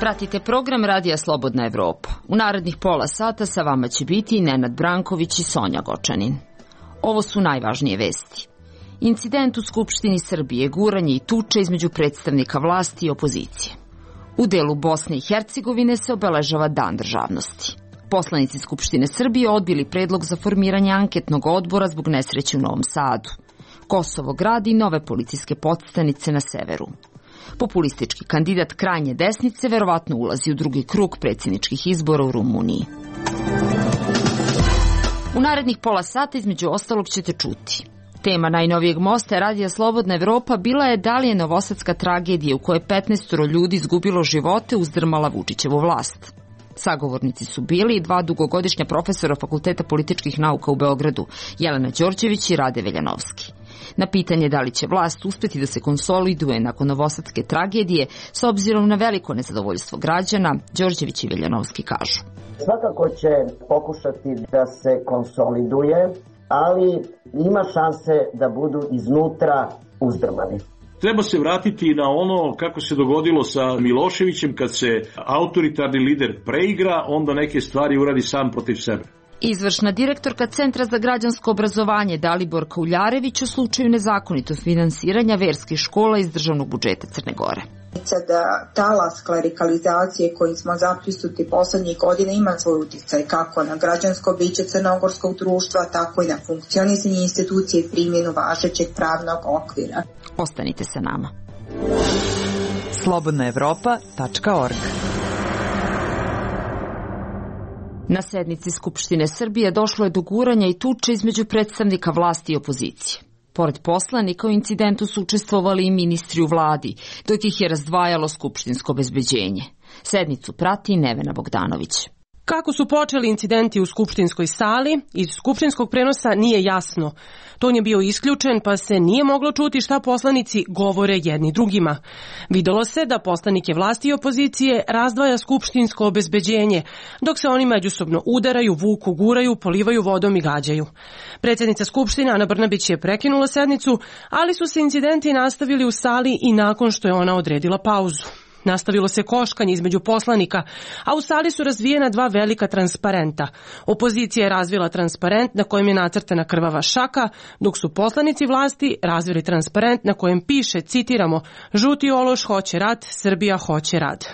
Pratite program Radija Slobodna Evropa. U narednih pola sata sa vama će biti Nenad Branković i Sonja Gočanin. Ovo su najvažnije vesti. Incident u Skupštini Srbije, guranje i tuče između predstavnika vlasti i opozicije. U delu Bosne i Hercegovine se obeležava Dan državnosti. Poslanici Skupštine Srbije odbili predlog za formiranje anketnog odbora zbog nesreće u Novom Sadu. Kosovo gradi nove policijske podstanice na severu. Populistički kandidat krajnje desnice verovatno ulazi u drugi krug predsjedničkih izbora u Rumuniji. U narednih pola sata između ostalog ćete čuti. Tema najnovijeg mosta Radija Slobodna Evropa bila je da li je novosadska tragedija u kojoj 15 ljudi izgubilo živote uzdrmala Vučićevu vlast. Sagovornici su bili i dva dugogodišnja profesora Fakulteta političkih nauka u Beogradu, Jelena Đorđević i Rade Veljanovski. Na pitanje da li će vlast uspeti da se konsoliduje nakon novosadske tragedije, s obzirom na veliko nezadovoljstvo građana, Đorđević i Veljanovski kažu. Svakako će pokušati da se konsoliduje, ali ima šanse da budu iznutra uzdrmani. Treba se vratiti na ono kako se dogodilo sa Miloševićem, kad se autoritarni lider preigra, onda neke stvari uradi sam protiv sebe. Izvršna direktorka Centra za građansko obrazovanje Daliborka Uljarević u slučaju nezakonitog finansiranja verskih škola iz državnog budžeta Crne Gore. Da talas klerikalizacije koji smo zaprisutili poslednjih godina ima svoj uticaj kako na građansko biće crnogorskog društva, tako i na funkcionisanje institucije i primjenu važećeg pravnog okvira. Ostanite sa nama. slobodnaevropa.org. Na sednici Skupštine Srbije došlo je do guranja i tuče između predstavnika vlasti i opozicije. Pored poslanika u incidentu su učestvovali i ministri u vladi, dok ih je razdvajalo skupštinsko obezbeđenje. Sednicu prati Nevena Bogdanović. Kako su počeli incidenti u skupštinskoj sali, iz skupštinskog prenosa nije jasno. Ton je bio isključen, pa se nije moglo čuti šta poslanici govore jedni drugima. Videlo se da poslanike vlasti i opozicije razdvaja skupštinsko obezbeđenje, dok se oni međusobno udaraju, vuku, guraju, polivaju vodom i gađaju. Predsjednica Skupštine Ana Brnabić je prekinula sednicu, ali su se incidenti nastavili u sali i nakon što je ona odredila pauzu. Nastavilo se koškanje između poslanika, a u sali su razvijena dva velika transparenta. Opozicija je razvila transparent na kojem je nacrtana krvava šaka, dok su poslanici vlasti razvili transparent na kojem piše, citiramo, žuti ološ hoće rat, Srbija hoće rad.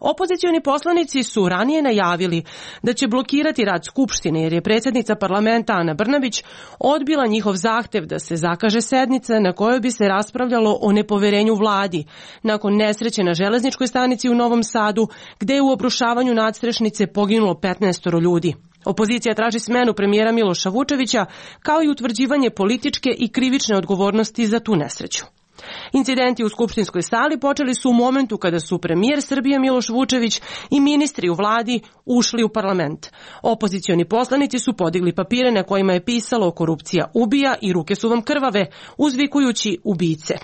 Opozicioni poslanici su ranije najavili da će blokirati rad Skupštine jer je predsjednica parlamenta Ana Brnabić odbila njihov zahtev da se zakaže sednica na kojoj bi se raspravljalo o nepoverenju vladi nakon nesreće na železničkoj stanici u Novom Sadu gde je u obrušavanju nadstrešnice poginulo 15 ljudi. Opozicija traži smenu premijera Miloša Vučevića kao i utvrđivanje političke i krivične odgovornosti za tu nesreću. Incidenti u skupštinskoj sali počeli su u momentu kada su premijer Srbije Miloš Vučević i ministri u vladi ušli u parlament. Opozicioni poslanici su podigli papire na kojima je pisalo korupcija ubija i ruke su vam krvave, uzvikujući ubice.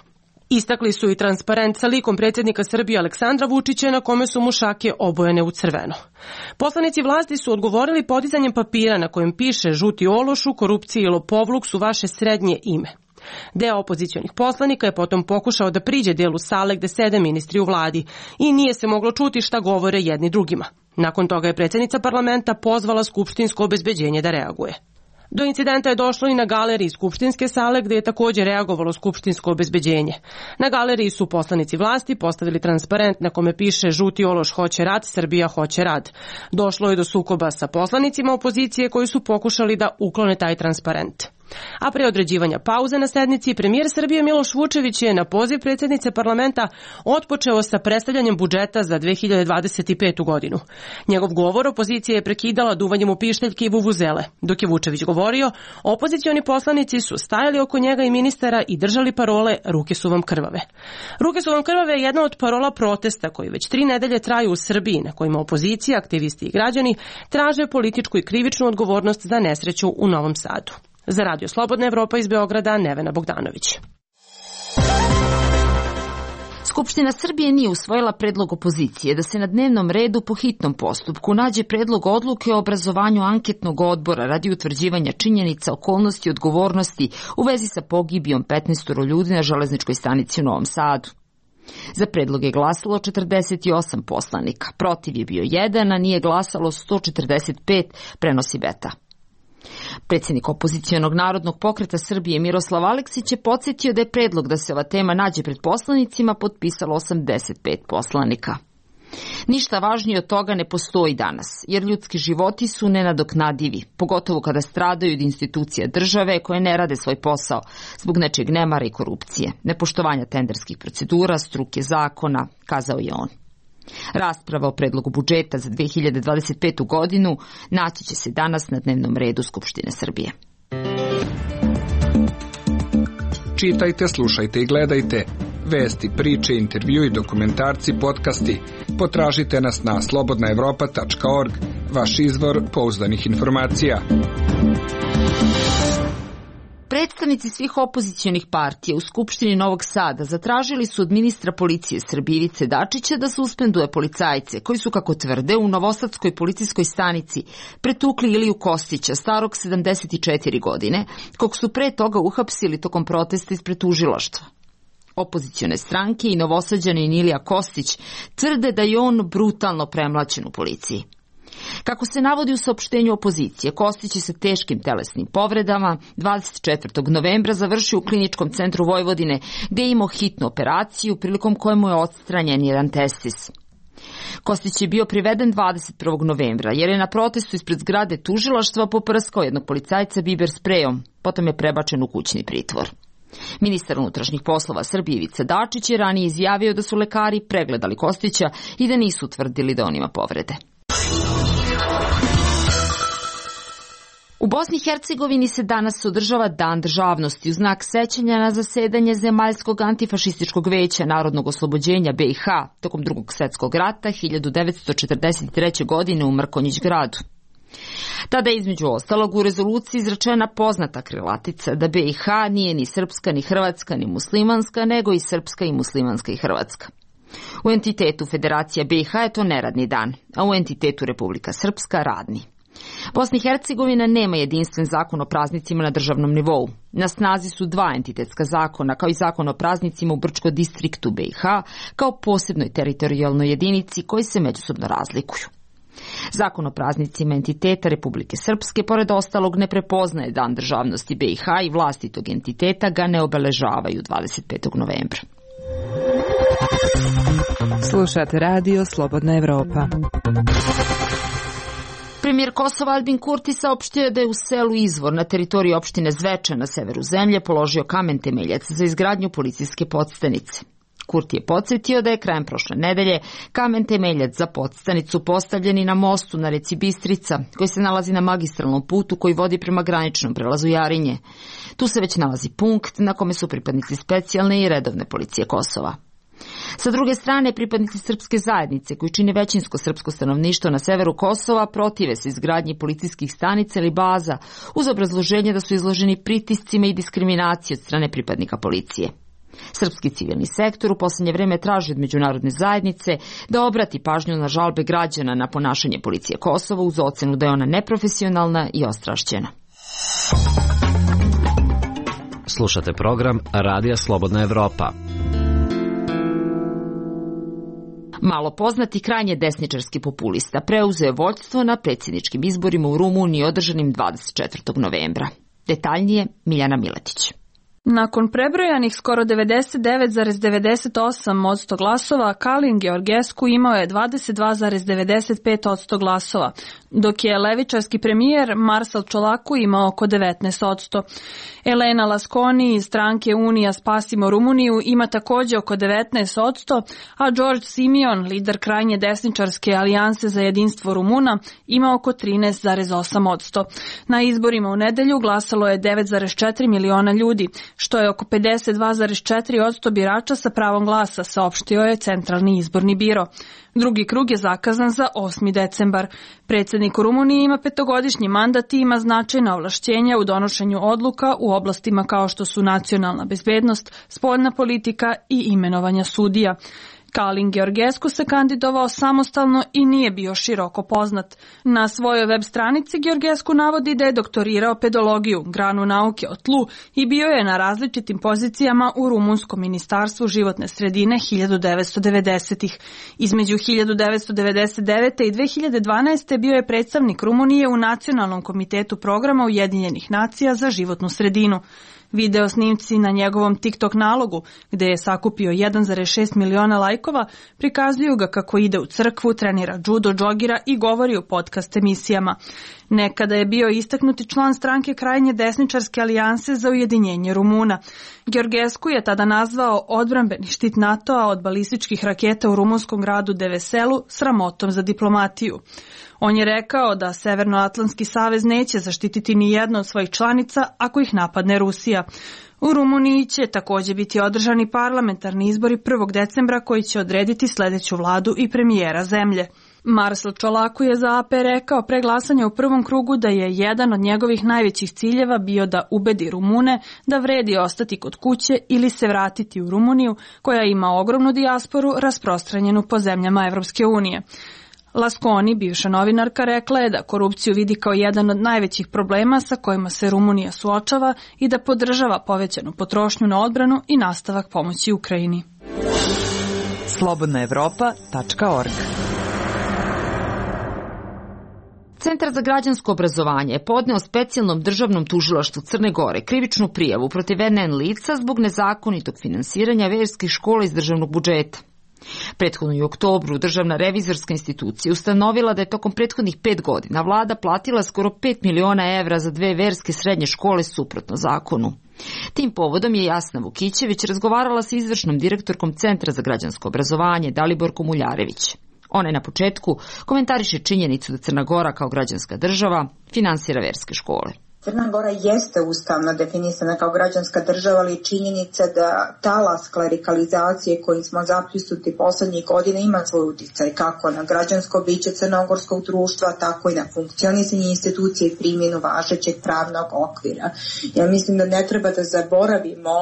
Istakli su i transparent sa likom predsjednika Srbije Aleksandra Vučića na kome su mu šake obojene u crveno. Poslanici vlasti su odgovorili podizanjem papira na kojem piše žuti ološu, korupcija i lopovluk su vaše srednje ime. Deo opozicionih poslanika je potom pokušao da priđe delu sale gde sede ministri u vladi i nije se moglo čuti šta govore jedni drugima. Nakon toga je predsjednica parlamenta pozvala skupštinsko obezbeđenje da reaguje. Do incidenta je došlo i na galeriji skupštinske sale gde je također reagovalo skupštinsko obezbeđenje. Na galeriji su poslanici vlasti postavili transparent na kome piše žuti ološ hoće rad, Srbija hoće rad. Došlo je do sukoba sa poslanicima opozicije koji su pokušali da uklone taj transparent. A pre određivanja pauze na sednici, premijer Srbije Miloš Vučević je na poziv predsjednice parlamenta otpočeo sa predstavljanjem budžeta za 2025. godinu. Njegov govor opozicija je prekidala duvanjem u pišteljke i vuvuzele. Dok je Vučević govorio, opozicioni poslanici su stajali oko njega i ministara i držali parole ruke su vam krvave. Ruke su vam krvave je jedna od parola protesta koji već 3 nedelje traju u Srbiji, na kojima opozicija, aktivisti i građani traže političku i krivičnu odgovornost za nesreću u Novom Sadu. Za Radio Slobodna Evropa iz Beograda, Nevena Bogdanović. Skupština Srbije nije usvojila predlog opozicije da se na dnevnom redu po hitnom postupku nađe predlog odluke o obrazovanju anketnog odbora radi utvrđivanja činjenica, okolnosti i odgovornosti u vezi sa pogibijom 15 ljudi na železničkoj stanici u Novom Sadu. Za predlog je glasalo 48 poslanika, protiv je bio 1, a nije glasalo 145, prenosi Beta. Predsjednik opozicionog Narodnog pokreta Srbije Miroslav Aleksić je podsjetio da je predlog da se ova tema nađe pred poslanicima potpisalo 85 poslanika. Ništa važnije od toga ne postoji danas, jer ljudski životi su nenadoknadivi, pogotovo kada stradaju od institucija države koje ne rade svoj posao zbog nečeg nemara i korupcije, nepoštovanja tenderskih procedura, struke zakona, kazao je on. Rasprava o predlogu budžeta za 2025. godinu naći će se danas na dnevnom redu Skupštine Srbije. Čitajte, slušajte i gledajte. Vesti, priče, intervjui, dokumentarci, podcasti. Potražite nas na slobodnaevropa.org, vaš izvor pouzdanih informacija. Predstavnici svih opozicionih partija u Skupštini Novog Sada zatražili su od ministra policije Srbije Ivice Dačića da suspenduje policajce koji su, kako tvrde, u novosadskoj policijskoj stanici pretukli Iliju Kostića, starog 74 godine, kog su pre toga uhapsili tokom protesta ispred tužilaštva. Opozicione stranke i Novosađanin Ilija Kostić tvrde da je on brutalno premlaćen u policiji. Kako se navodi u saopštenju opozicije, Kostić je sa teškim telesnim povredama 24. novembra završio u Kliničkom centru Vojvodine, gde je imao hitnu operaciju prilikom koje mu je odstranjen jedan testis. Kostić je bio priveden 21. novembra jer je na protestu ispred zgrade tužilaštva poprskao jednog policajca biber sprejom, potom je prebačen u kućni pritvor. Ministar unutrašnjih poslova Srbije Ivica Dačić je ranije izjavio da su lekari pregledali Kostića i da nisu utvrdili da on ima povrede. U Bosni i Hercegovini se danas održava Dan državnosti u znak sećanja na zasedanje Zemaljskog antifašističkog veća narodnog oslobođenja BiH tokom Drugog svjetskog rata 1943. godine u Mrkonjić gradu. Tada je između ostalog u rezoluciji izrečena poznata krilatica da BiH nije ni srpska, ni hrvatska, ni muslimanska, nego i srpska i muslimanska i hrvatska. U entitetu Federacija BiH je to neradni dan, a u entitetu Republika Srpska radni. Bosna i Hercegovina nema jedinstven zakon o praznicima na državnom nivou. Na snazi su dva entitetska zakona, kao i zakon o praznicima u Brčko-distriktu BiH, kao posebnoj teritorijalnoj jedinici koji se međusobno razlikuju. Zakon o praznicima entiteta Republike Srpske, pored ostalog, ne prepoznaje Dan državnosti BiH i vlasti tog entiteta ga ne obeležavaju 25. novembra. Slušate radio Slobodna Evropa. Premijer Kosova Albin Kurti saopštio da je u selu Izvor na teritoriji opštine Zvečan na severu zemlje položio kamen temeljac za izgradnju policijske podstanice. Kurti je podsjetio da je krajem prošle nedelje kamen temeljac za podstanicu postavljen i na mostu na reci Bistrica, koji se nalazi na magistralnom putu koji vodi prema graničnom prelazu Jarinje. Tu se već nalazi punkt na kome su pripadnici specijalne i redovne policije Kosova. Sa druge strane, pripadnici srpske zajednice, koji čine većinsko srpsko stanovništvo na severu Kosova, protive se izgradnji policijskih stanica ili baza, uz obrazloženje da su izloženi pritiscima i diskriminaciji od strane pripadnika policije. Srpski civilni sektor u posljednje vreme traži od međunarodne zajednice da obrati pažnju na žalbe građana na ponašanje policije Kosova uz ocenu da je ona neprofesionalna i ostrašćena. Slušate program Radija Slobodna Evropa. Malo poznati krajnje desničarski populista preuzeo je vođstvo na predsjedničkim izborima u Rumuniji održanim 24. novembra. Detaljnije Miljana Miletić. Nakon prebrojanih skoro 99,98% glasova, Kalin Georgescu imao je 22,95% glasova, dok je levičarski premijer Marsal Čolaku imao oko 19%. Elena Lasconi iz stranke Unija Spasimo Rumuniju ima također oko 19%, a George Simion, lider krajnje desničarske alijanse za jedinstvo Rumuna, ima oko 13,8%. Na izborima u nedelju glasalo je 9,4 miliona ljudi, što je oko 52,4% birača sa pravom glasa, saopštio je Centralni izborni biro. Drugi krug je zakazan za 8. decembar. Predsjednik u Rumuniji ima 5-godišnji mandat i ima značajna ovlašćenja u donošenju odluka u oblastima kao što su nacionalna bezbednost, spoljna politika i imenovanja sudija. Kalin Georgescu se kandidovao samostalno i nije bio široko poznat. Na svojoj web stranici Georgescu navodi da je doktorirao pedologiju, granu nauke o tlu, i bio je na različitim pozicijama u rumunskom ministarstvu životne sredine 1990-ih. Između 1999. i 2012. bio je predstavnik Rumunije u Nacionalnom komitetu programa Ujedinjenih nacija za životnu sredinu. Video snimci na njegovom TikTok nalogu, gde je sakupio 1,6 miliona lajkova, prikazuju ga kako ide u crkvu, trenira judo, džogira i govori u podcast emisijama. Nekada je bio istaknuti član stranke krajnje desničarske alijanse za ujedinjenje Rumuna. Georgescu je tada nazvao odbrambeni štit NATO-a od balističkih raketa u rumunskom gradu Deveselu sramotom za diplomatiju. On je rekao da Severnoatlantski savez neće zaštititi ni jednu od svojih članica ako ih napadne Rusija. U Rumuniji će također biti održani parlamentarni izbori 1. decembra koji će odrediti sledeću vladu i premijera zemlje. Marcel Čolaku je za AP rekao pre glasanja u prvom krugu da je jedan od njegovih najvećih ciljeva bio da ubedi Rumune da vredi ostati kod kuće ili se vratiti u Rumuniju, koja ima ogromnu dijasporu rasprostranjenu po zemljama Evropske unije. Lasconi, bivša novinarka, rekla je da korupciju vidi kao jedan od najvećih problema sa kojima se Rumunija suočava i da podržava povećanu potrošnju na odbranu i nastavak pomoći Ukrajini. slobodnaevropa.org. Centar za građansko obrazovanje je podneo specijalnom državnom tužilaštvu Crne Gore krivičnu prijavu protiv NN lica zbog nezakonitog finansiranja verskih škola iz državnog budžeta. Prethodno u oktobru Državna revizorska institucija ustanovila da je tokom prethodnih 5 godina vlada platila skoro 5 miliona evra za 2 verske srednje škole suprotno zakonu. Tim povodom je Jasna Vukićević razgovarala sa izvršnom direktorkom Centra za građansko obrazovanje Daliborkom Uljarević. Ona je na početku komentariše činjenicu da Crna Gora kao građanska država finansira verske škole. Crna Gora jeste ustavno definisana kao građanska država, ali činjenica da talas klerikalizacije kojim smo zapljusnuti poslednjih godina ima svoj uticaj kako na građansko biće crnogorskog društva, tako i na funkcionisanje institucije i primjenu važećeg pravnog okvira. Ja mislim da ne treba da zaboravimo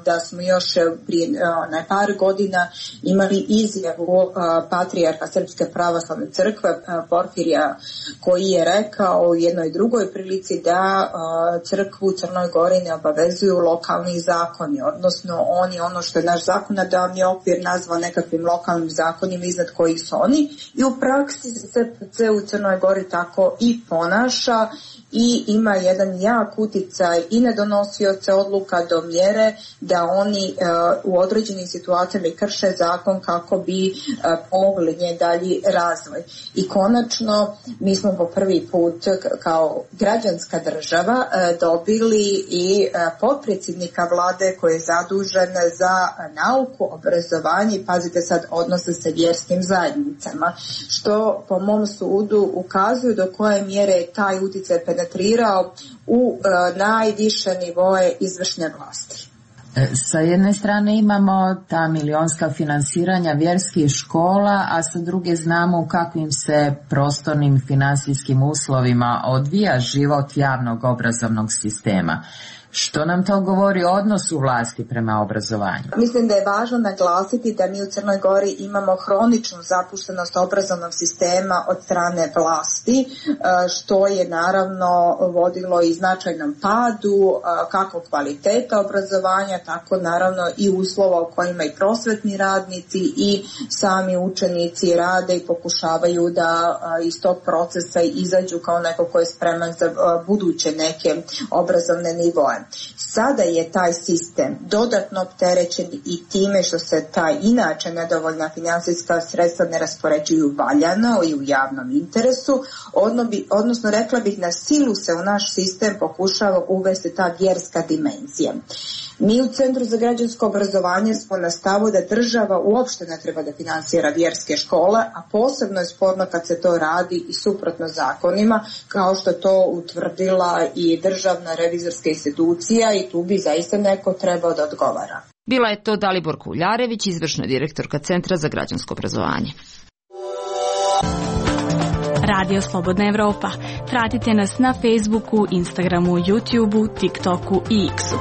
da smo još prije par godina imali izjavu patrijarha Srpske pravoslavne crkve Porfirija, koji je rekao u jednoj drugoj prilici da crkvu u Crnoj Gori ne obavezuju lokalni zakoni, odnosno oni ono što je naš zakonodavni okvir nazvao nekakvim lokalnim zakonima iznad kojih su oni, i u praksi se SPC u Crnoj Gori tako i ponaša i ima jedan jak uticaj i na donosioce odluka do mjere da oni u određenim situacijama krše zakon kako bi pomogli nje dalji razvoj. I konačno mi smo po prvi put kao građanska država dobili i potpredsjednika vlade koji je zadužen za nauku, obrazovanje i pazite sad odnose sa vjerskim zajednicama, što po mom sudu ukazuju do koje mjere je taj utjecaj penetrirao u najviše nivoe izvršne vlasti. Sa jedne strane imamo ta milionska finansiranja vjerskih škola, a sa druge znamo u kakvim se prostornim finansijskim uslovima odvija život javnog obrazovnog sistema. Što nam to govori o odnosu vlasti prema obrazovanju? Mislim da je važno naglasiti da mi u Crnoj Gori imamo hroničnu zapuštenost obrazovnog sistema od strane vlasti, što je naravno vodilo i značajnom padu kako kvaliteta obrazovanja, tako naravno i uslova u kojima i prosvetni radnici i sami učenici rade i pokušavaju da iz tog procesa izađu kao neko ko je spreman za buduće neke obrazovne nivoe. Sada je taj sistem dodatno opterećen i time što se taj inače nedovoljna finansijska sredstva ne raspoređuju valjano i u javnom interesu, odnosno rekla bih na silu se u naš sistem pokušava uvesti ta vjerska dimenzija. Mi u Centru za građansko obrazovanje smo na stavu da država uopšte ne treba da finansira vjerske škole, a posebno je sporno kad se to radi i suprotno zakonima, kao što to utvrdila i Državna revizorska institucija, i tu bi zaista neko trebao da odgovara. Bila je to Daliborka Uljarević, izvršna direktorka Centra za građansko obrazovanje. Radio Slobodna Evropa. Pratite nas na Facebooku, Instagramu, YouTubeu, TikToku i X-u.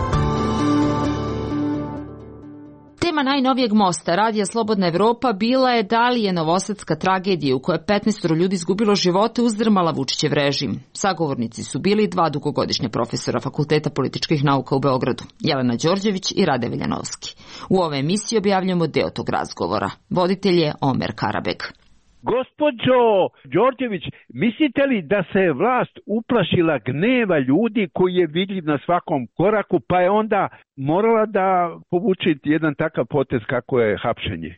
Tema najnovijeg mosta Radija Slobodna Evropa bila je da li je novosadska tragedija u kojoj je 15 ljudi izgubilo živote uzdrmala Vučićev režim. Sagovornici su bili 2 dugogodišnja profesora Fakulteta političkih nauka u Beogradu, Jelena Đorđević i Rade Veljanovski. U ovoj emisiji objavljamo deo tog razgovora. Voditelj je Omer Karabeg. Gospođo Đorđević, mislite li da se je vlast uplašila gneva ljudi koji je vidljiv na svakom koraku, pa je onda morala da povuče jedan takav potez kako je hapšenje?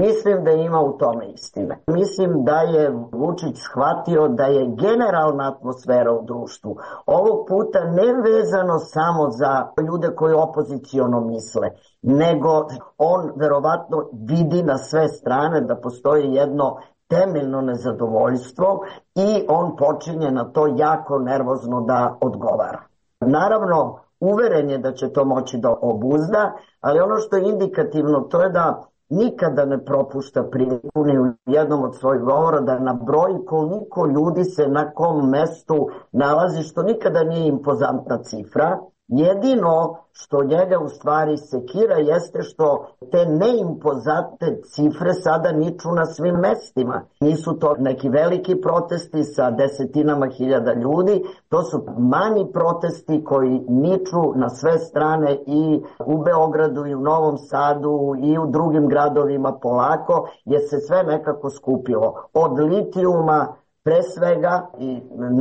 Mislim da ima u tome istine. Mislim da je Vučić shvatio da je generalna atmosfera u društvu ovog puta ne vezano samo za ljude koji opoziciono misle, nego on verovatno vidi na sve strane da postoji jedno temeljno nezadovoljstvo i on počinje na to jako nervozno da odgovara. Naravno, uveren je da će to moći da obuzda, ali ono što je indikativno to je da nikada ne propušta priliku ni u jednom od svojih govora da nabroji koliko ljudi se na kom mestu nalazi, što nikada nije impozantna cifra. Jedino što njega u stvari sekira jeste što te neimpozantne cifre sada niču na svim mestima. Nisu to neki veliki protesti sa desetinama hiljada ljudi, to su manji protesti koji niču na sve strane i u Beogradu i u Novom Sadu i u drugim gradovima polako, jer se sve nekako skupilo. Od litijuma pre svega i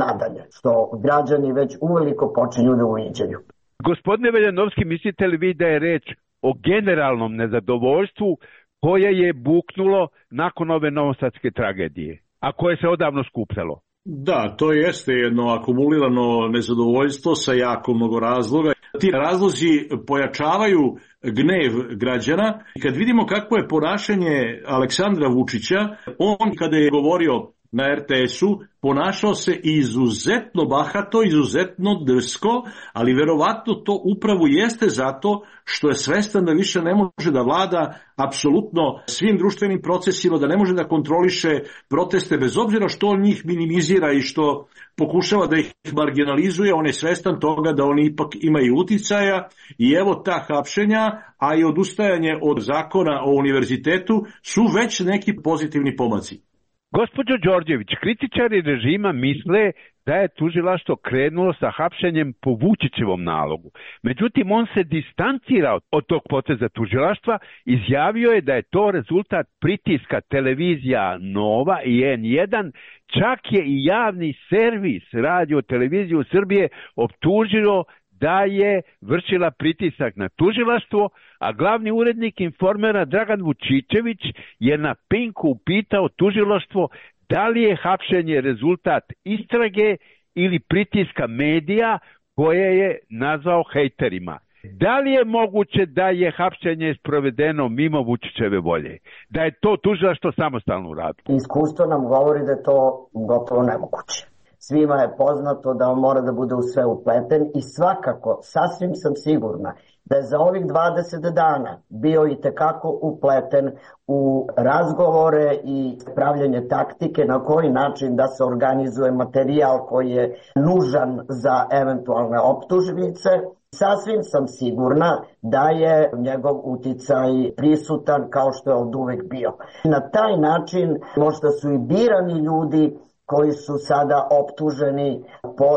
nadalje, što građani već uveliko počinju da uviđaju. Gospodine Veljanovski, mislite li vi da je reč o generalnom nezadovoljstvu koje je buknulo nakon ove novosadske tragedije, a koje se odavno skupljalo? Da, to jeste jedno akumulirano nezadovoljstvo sa jako mnogo razloga. Ti razlozi pojačavaju gnev građana. Kad vidimo kakvo je ponašanje Aleksandra Vučića, on kada je govorio na RTS-u ponašao se izuzetno bahato, izuzetno drsko, ali verovatno to upravo jeste zato što je svestan da više ne može da vlada apsolutno svim društvenim procesima, da ne može da kontroliše proteste, bez obzira što on njih minimizira i što pokušava da ih marginalizuje, on je svestan toga da oni ipak imaju uticaja i evo ta hapšenja, a i odustajanje od zakona o univerzitetu su već neki pozitivni pomaci. Gospođo Đorđević, kritičari režima misle da je tužilaštvo krenulo sa hapšenjem po Vučićevom nalogu. Međutim, on se distancira od tog poteza tužilaštva, izjavio je da je to rezultat pritiska televizija Nova i N1, čak je i javni servis Radio televiziju Srbije optužio da je vršila pritisak na tužilaštvo, a glavni urednik Informera Dragan Vučićević je na Pinku upitao tužilaštvo da li je hapšenje rezultat istrage ili pritiska medija koje je nazvao hejterima. Da li je moguće da je hapšenje sprovedeno mimo Vučićeve volje? Da je to tužilaštvo samostalno uradilo? Iskustvo nam govori da je to gotovo nemoguće. Svima je poznato da on mora da bude u sve upleten i svakako, sasvim sam sigurna da je za ovih 20 dana bio i tekako upleten u razgovore i pravljanje taktike na koji način da se organizuje materijal koji je nužan za eventualne optužnice. Sasvim sam sigurna da je njegov uticaj prisutan kao što je od uvek bio. Na taj način možda su i birani ljudi koji su sada optuženi po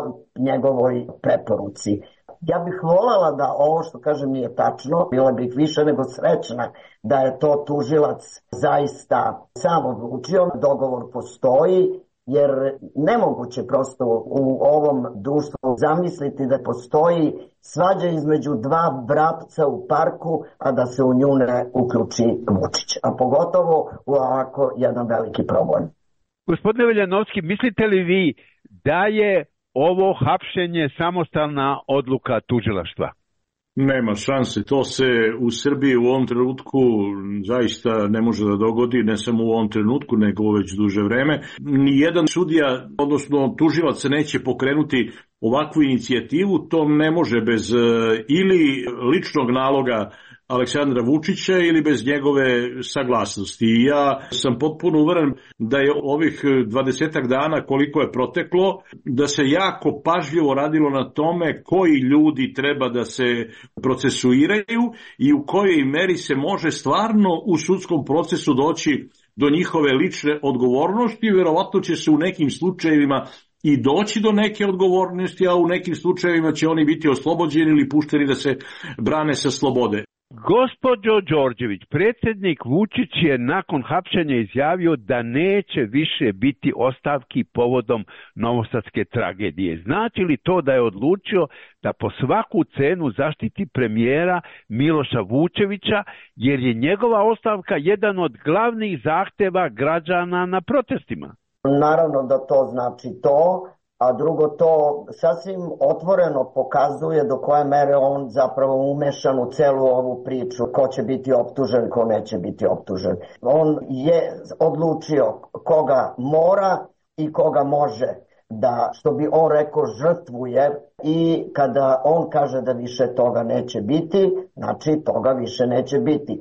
njegovoj preporuci. Ja bih voljela da ovo što kažem nije tačno, bila bih više nego srećna da je to tužilac zaista sam odlučio, dogovor postoji, jer nemoguće prosto u ovom društvu zamisliti da postoji svađa između dva vrapca u parku, a da se u nju ne uključi Vučić, a pogotovo u ovako jedan veliki problem. Gospodine Veljanovski, mislite li vi da je ovo hapšenje samostalna odluka tužilaštva? Nema šanse, to se u Srbiji u ovom trenutku zaista ne može da dogodi, ne samo u ovom trenutku, nego već duže vreme. Nijedan sudija, odnosno tužilac, neće pokrenuti ovakvu inicijativu, to ne može bez ili ličnog naloga Aleksandra Vučića ili bez njegove saglasnosti. I ja sam potpuno uveren da je ovih 20 dana koliko je proteklo, da se jako pažljivo radilo na tome koji ljudi treba da se procesuiraju i u kojoj meri se može stvarno u sudskom procesu doći do njihove lične odgovornosti. Verovatno će se u nekim slučajevima i doći do neke odgovornosti, a u nekim slučajevima će oni biti oslobođeni ili pušteni da se brane sa slobode. Gospođo Đorđević, predsjednik Vučić je nakon hapšenja izjavio da neće više biti ostavki povodom novosadske tragedije. Znači li to da je odlučio da po svaku cenu zaštiti premijera Miloša Vučevića, jer je njegova ostavka jedan od glavnih zahteva građana na protestima? Naravno da to znači to, a drugo to sasvim otvoreno pokazuje do koje mere on zapravo umešan u celu ovu priču, ko će biti optužen, ko neće biti optužen. On je odlučio koga mora i koga može da, što bi on rekao, žrtvuje, i kada on kaže da više toga neće biti, znači toga više neće biti.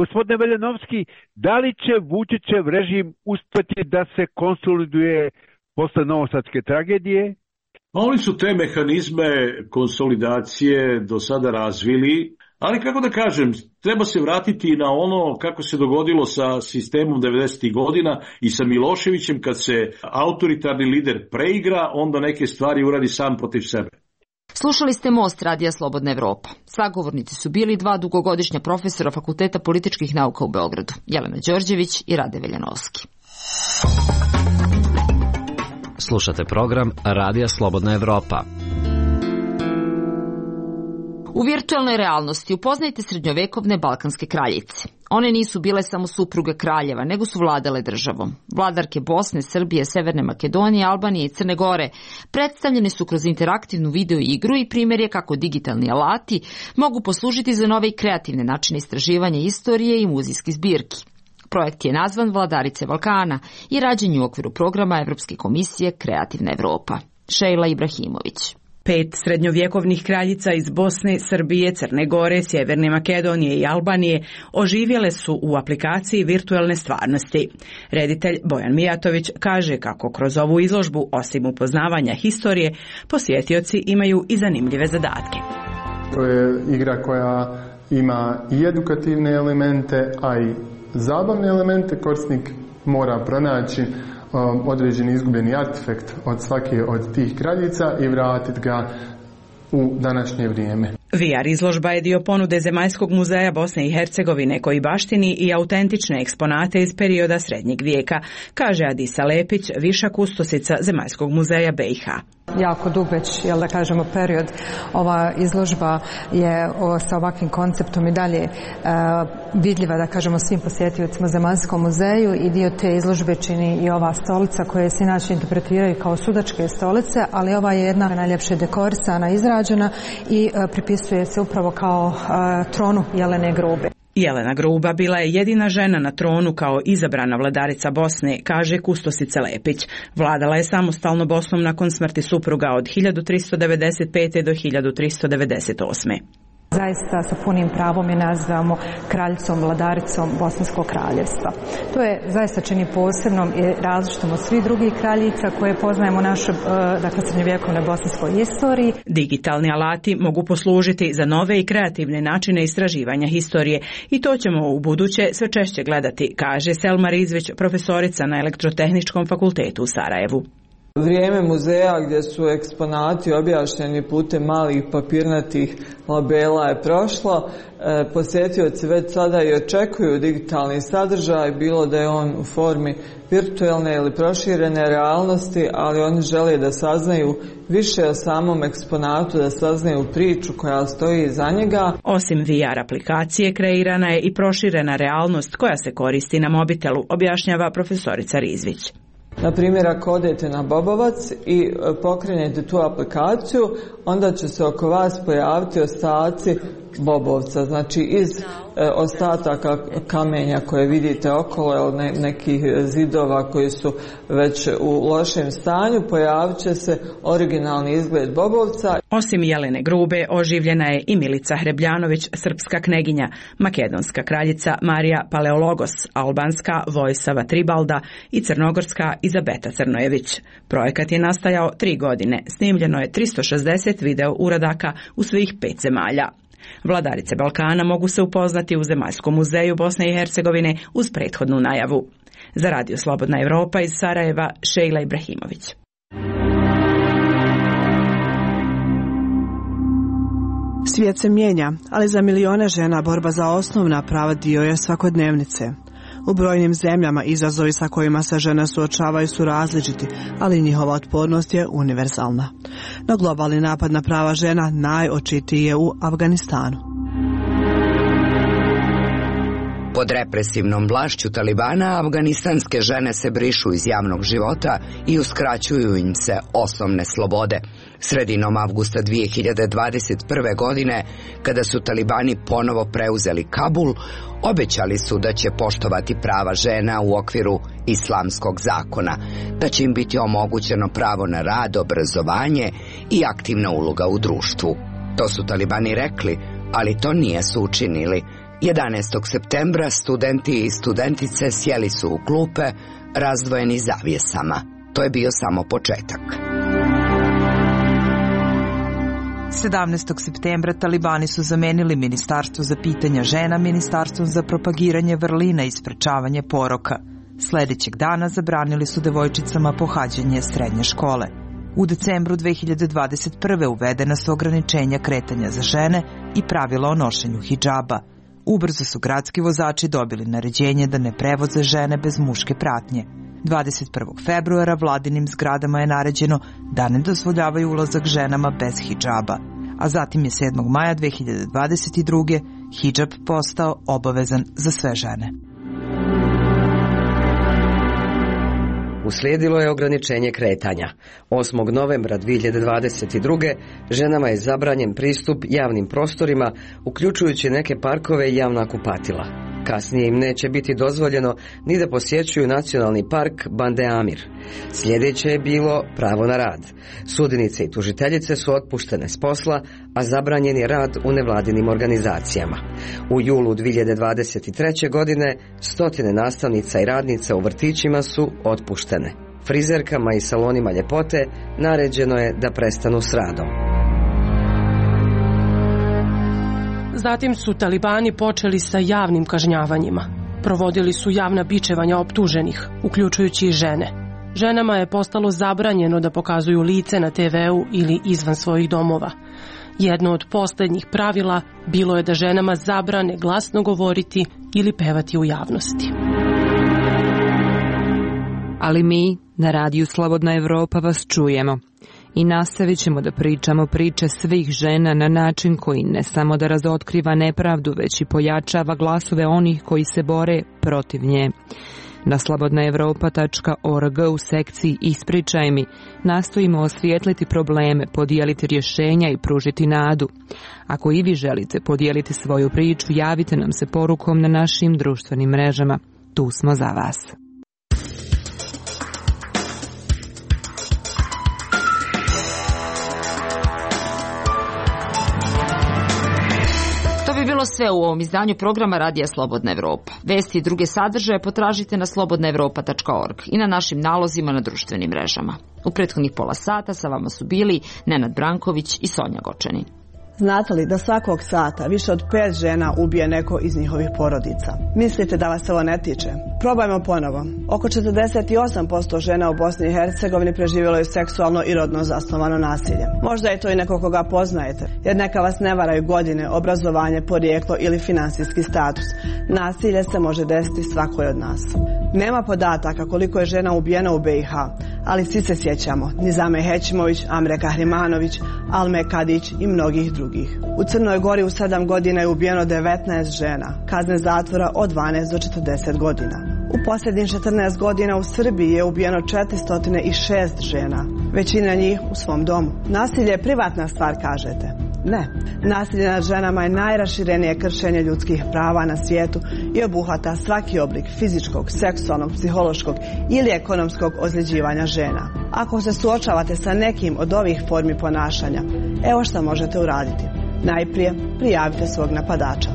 Gospodine Veljanovski, da li će Vučićev režim uspjeti da se konsoliduje posle novosadske tragedije? Oni su te mehanizme konsolidacije do sada razvili, ali kako da kažem, treba se vratiti na ono kako se dogodilo sa sistemom 90. godina i sa Miloševićem, kad se autoritarni lider preigra, onda neke stvari uradi sam protiv sebe. Slušali ste Most Radija Slobodna Evropa. Sagovornici su bili dva dugogodišnja profesora Fakulteta političkih nauka u Beogradu, Jelena Đorđević i Rade Veljanovski. Slušate program Radija Slobodna Evropa. U virtualnoj realnosti upoznajte srednjovekovne balkanske kraljice. One nisu bile samo supruge kraljeva, nego su vladale državom. Vladarke Bosne, Srbije, Severne Makedonije, Albanije i Crne Gore predstavljene su kroz interaktivnu video igru i primjer je kako digitalni alati mogu poslužiti za nove i kreativne načine istraživanja istorije i muzejskih zbirki. Projekt je nazvan Vladarice Balkana i rađen je u okviru programa Evropske komisije Kreativna Evropa. Šejla Ibrahimović. 5 srednjovjekovnih kraljica iz Bosne, Srbije, Crne Gore, Sjeverne Makedonije i Albanije oživjele su u aplikaciji virtualne stvarnosti. Reditelj Bojan Mijatović kaže kako kroz ovu izložbu, osim upoznavanja historije, posjetioci imaju i zanimljive zadatke. To je igra koja ima i edukativne elemente, a i zabavne elemente. Korisnik mora pronaći određeni izgubljeni artefakt od svake od tih kraljica i vratiti ga u današnje vrijeme. VR izložba je dio ponude Zemaljskog muzeja Bosne i Hercegovine koji baštini i autentične eksponate iz perioda Srednjeg vijeka, kaže Adisa Lepić, viša kustosica Zemaljskog muzeja BiH. Jako dug već, da kažemo, period. Ova izložba je sa ovakvim konceptom i dalje vidljiva, da kažemo, svim posjetiocima Zemaljskom muzeju, i dio te izložbe čini i ova stolica koja se inače interpretiraju kao sudačke stolice, ali ova je jedna najljepše dekorisana, izrađena i pripisuje se upravo kao tronu Jelene Grube. Jelena Gruba bila je jedina žena na tronu kao izabrana vladarica Bosne, kaže kustosica Lepić. Vladala je samostalno Bosnom nakon smrti supruga od 1395. do 1398. Zaista sa punim pravom je nazivamo kraljicom, vladaricom Bosanskog kraljevstva. To je zaista čini posebnom i različitom od svih drugih kraljica koje poznajemo u našoj, srednjovjekovnoj bosanskoj istoriji. Digitalni alati mogu poslužiti za nove i kreativne načine istraživanja historije i to ćemo u buduće sve češće gledati, kaže Selma Rizvić, profesorica na Elektrotehničkom fakultetu u Sarajevu. Vrijeme muzeja gdje su eksponati objašnjeni putem malih papirnatih labela je prošlo. Posjetioci već sada i očekuju digitalni sadržaj, bilo da je on u formi virtualne ili proširene realnosti, ali oni žele da saznaju više o samom eksponatu, da saznaju priču koja stoji iza njega. Osim VR aplikacije, kreirana je i proširena realnost koja se koristi na mobitelu, objašnjava profesorica Rizvić. Na primjer, ako odete na Bobovac i pokrenete tu aplikaciju, onda će se oko vas pojaviti ostaci bobovca, znači iz ostataka kamenja koje vidite okolo, nekih zidova koji su već u lošem stanju, pojavit će se originalni izgled bobovca. Osim Jelene Grube, oživljena je i Milica Hrebljanović, srpska kneginja, makedonska kraljica Marija Paleologos, albanska Vojsava Tribalda i crnogorska Izabeta Crnojević. Projekat je nastajao 3 godine, snimljeno je 360 video uradaka u svih 5 zemalja. Vladarice Balkana mogu se upoznati u Zemaljskom muzeju Bosne i Hercegovine uz prethodnu najavu. Za Radio Slobodna Evropa iz Sarajeva, Šejla Ibrahimović. Svijet se mijenja, ali za milione žena borba za osnovna prava dio je svakodnevnice. U brojnim zemljama izazovi sa kojima se žene suočavaju su različiti, ali njihova otpornost je univerzalna. No globalni napad na prava žena najočitiji je u Afganistanu. Pod represivnom vlašću Talibana, afganistanske žene se brišu iz javnog života i uskraćuju im se osnovne slobode. Sredinom avgusta 2021. godine, kada su Talibani ponovo preuzeli Kabul, obećali su da će poštovati prava žena u okviru islamskog zakona, da će im biti omogućeno pravo na rad, obrazovanje i aktivna uloga u društvu. To su Talibani rekli, ali to nisu učinili. 11. septembra studenti i studentice sjeli su u klupe, razdvojeni zavjesama. To je bio samo početak. 17. septembra Talibani su zamenili Ministarstvo za pitanja žena Ministarstvom za propagiranje vrlina i sprečavanje poroka. Sljedećeg dana zabranili su devojčicama pohađanje srednje škole. U decembru 2021. uvedena su ograničenja kretanja za žene i pravila o nošenju hidžaba. Ubrzo su gradski vozači dobili naređenje da ne prevoze žene bez muške pratnje. 21. februara vladinim zgradama je naređeno da ne dozvoljavaju ulazak ženama bez hidžaba, a zatim je 7. maja 2022. hidžab postao obavezan za sve žene. Uslijedilo je ograničenje kretanja. 8. novembra 2022. ženama je zabranjen pristup javnim prostorima, uključujući neke parkove i javna kupatila. Kasnije im neće biti dozvoljeno ni da posjećuju nacionalni park Bande Amir. Sljedeće je bilo pravo na rad. Sudinice i tužiteljice su otpuštene s posla, a zabranjen je rad u nevladinim organizacijama. U julu 2023. godine 100 nastavnica i radnica u vrtićima su otpuštene. Frizerkama i salonima ljepote naređeno je da prestanu s radom. Zatim su Talibani počeli sa javnim kažnjavanjima. Provodili su javna bičevanja optuženih, uključujući i žene. Ženama je postalo zabranjeno da pokazuju lice na TV-u ili izvan svojih domova. Jedno od posljednjih pravila bilo je da ženama zabrane glasno govoriti ili pevati u javnosti. Ali mi na radiju Slobodna Evropa vas čujemo i nastavit ćemo da pričamo priče svih žena na način koji ne samo da razotkriva nepravdu, već i pojačava glasove onih koji se bore protiv nje. Na slobodnaevropa.org u sekciji Ispričaj mi nastojimo osvijetliti probleme, podijeliti rješenja i pružiti nadu. Ako i vi želite podijeliti svoju priču, javite nam se porukom na našim društvenim mrežama. Tu smo za vas. Bilo sve u ovom izdanju programa Radija Slobodna Evropa. Vesti i druge sadržaje potražite na slobodnaevropa.org i na našim nalozima na društvenim mrežama. U prethodnih pola sata sa vama su bili Nenad Branković i Sonja Gočanin. Znate li da svakog sata više od 5 žena ubije neko iz njihovih porodica? Mislite da vas ovo ne tiče? Probajmo ponovo. Oko 48% žena u Bosni i Hercegovini preživjelo je seksualno i rodno zasnovano nasilje. Možda je to i neko koga poznajete, jer neka vas ne varaju godine, obrazovanje, porijeklo ili finansijski status. Nasilje se može desiti svakoj od nas. Nema podataka koliko je žena ubijeno u BiH, ali svi se sjećamo Nizame Hećimović, Amre Kahrimanović, Alme Kadić i mnogih drugih. U Crnoj Gori u 7 godina je ubijeno 19 žena, kazne zatvora od 12 do 40 godina. U posljednjih 14 godina u Srbiji je ubijeno 406 žena, većina njih u svom domu. Nasilje je privatna stvar, kažete. Ne. Nasilje nad ženama je najraširenije kršenje ljudskih prava na svijetu i obuhvata svaki oblik fizičkog, seksualnog, psihološkog ili ekonomskog ozljeđivanja žena. Ako se suočavate sa nekim od ovih formi ponašanja, evo šta možete uraditi. Najprije prijavite svog napadača.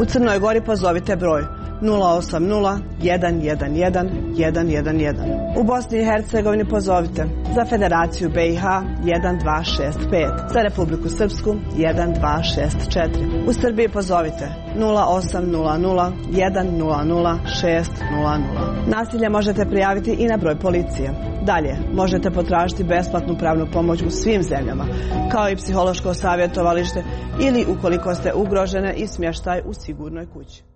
U Crnoj Gori pozovite broj 080 111 111. U Bosni i Hercegovini pozovite za Federaciju BiH 1265, za Republiku Srpsku 1264. U Srbiji pozovite 0800 100 600. Nasilje možete prijaviti i na broj policije. Dalje, možete potražiti besplatnu pravnu pomoć u svim zemljama, kao i psihološko savjetovalište ili ukoliko ste ugrožene i smještaj u sigurnoj kući.